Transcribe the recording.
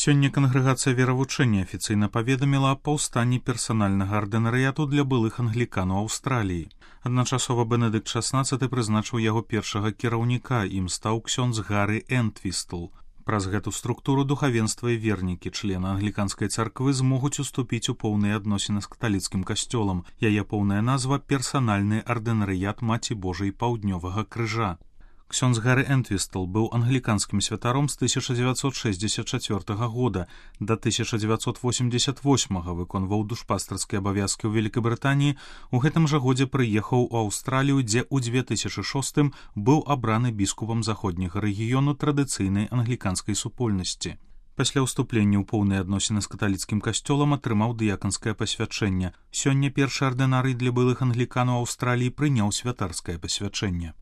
Сёння кангрэгацыя веравучэння афіцыйна паведаміла аб паўстанні персанальнага ардынарыяту для былых англіканаў Аўстраліі. Адначасова Бенедыкт XVI прызначыў яго першага кіраўніка, ім стаў ксёндз Гары Энтвістл. Праз гэту структуру духавенства і вернікі, члены англіканскай царквы, змогуць уступіць у поўныя адносіны з каталіцкім касцёлам. Яе поўная назва – персанальны ардынарыят Маці Божай Паўднёвага крыжа. Ксёндз Гары Энтвістл быў англіканскім святаром з 1964 года да 1988 выконваў душпастарскія абавязкі ў Великабрытаніі. У гэтым жа годзе прыехаў у Аўстралію, дзе ў 2006 быў абраны біскупам заходняга рэгіёну традыцыйнай англіканскай супольнасці. Пасля ўступлення ў поўныя адносіны з каталіцкім касцёлам атрымаў дыяканскае пасвячэнне. Сёння першы ардынарый для былых англіканаў Аўстраліі прыняў святарскае пасвячэнне.